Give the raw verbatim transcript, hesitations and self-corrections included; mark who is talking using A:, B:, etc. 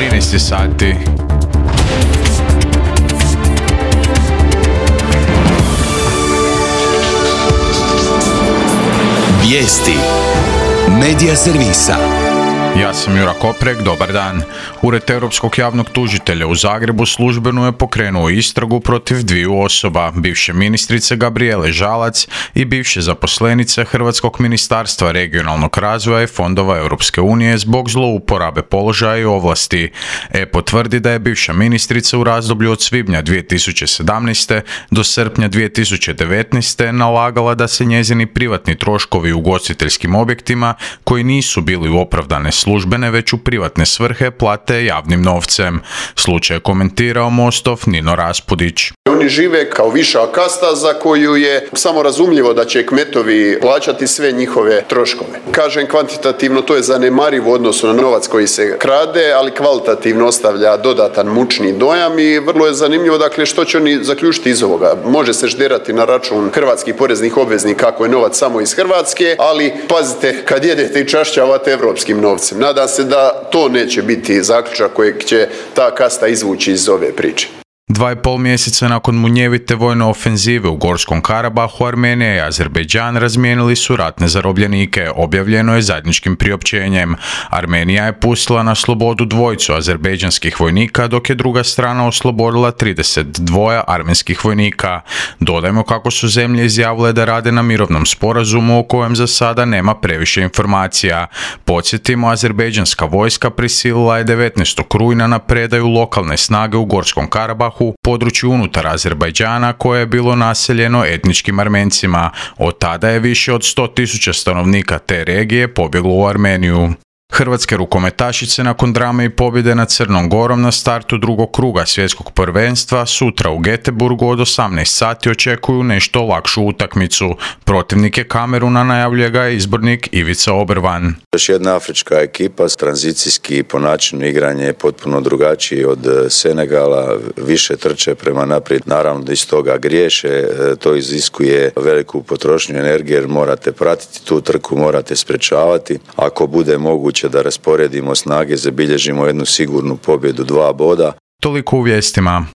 A: trinaest sati.
B: Vijesti Medija servisa.
A: Ja sam Jura Koprek, dobar dan. Ured Europskog javnog tužitelja u Zagrebu službeno je pokrenuo istragu protiv dviju osoba, bivše ministrice Gabrijele Žalac i bivše zaposlenice Hrvatskog ministarstva regionalnog razvoja i fondova Europske unije zbog zlouporabe položaja i ovlasti. E P O tvrdi da je bivša ministrica u razdoblju od svibnja dvije tisuće sedamnaeste. do srpnja dvije tisuće devetnaeste. nalagala da se njezini privatni troškovi u ugostiteljskim objektima, koji nisu bili u opravdane službene već u privatne svrhe, plate javnim novcem. Slučaj je komentirao Mostov Nino Raspudić.
C: Oni žive kao viša kasta za koju je samo razumljivo da će kmetovi plaćati sve njihove troškove. Kažem, kvantitativno to je zanemarivo u odnosu na novac koji se krade, ali kvalitativno ostavlja dodatan mučni dojam i vrlo je zanimljivo, dakle, što će oni zaključiti iz ovoga. Može se žderati na račun hrvatskih poreznih obveznika kako je novac samo iz Hrvatske, ali pazite, kad jedete i čašćavate evropskim novcem. Nadam se da to neće biti zaključak kojeg će ta kasta izvući iz ove priče.
A: Dva i pol mjeseca nakon munjevite vojne ofenzive u Gorskom Karabahu, Armenija i Azerbejdžan razmijenili su ratne zarobljenike, objavljeno je zajedničkim priopćenjem. Armenija je pustila na slobodu dvojicu azerbejdžanskih vojnika, dok je druga strana oslobodila trideset dva armenskih vojnika. Dodajmo kako su zemlje izjavile da rade na mirovnom sporazumu o kojem za sada nema previše informacija. Podsjetimo, azerbejdžanska vojska prisilila je devetnaestog rujna na predaju lokalne snage u Gorskom Karabahu, području unutar Azerbajdžana koje je bilo naseljeno etničkim Armencima. Od tada je više od sto tisuća stanovnika te regije pobjeglo u Armeniju. Hrvatske rukometašice nakon drame i pobjede nad Crnom Gorom na startu drugog kruga svjetskog prvenstva sutra u Göteborgu od osamnaest sati očekuju nešto lakšu utakmicu. Protivnik je Kameruna, najavljuje ga izbornik Ivica Obervan.
D: Još jedna afrička ekipa, tranzicijski po načinu igranja je potpuno drugačiji od Senegala, više trče prema naprijed, naravno da iz toga griješe, to iziskuje veliku potrošnju energije jer morate pratiti tu trku, morate sprečavati. Ako bude moguće da rasporedimo snage, zabilježimo jednu sigurnu pobjedu, dva boda.
A: Toliko u vijestima.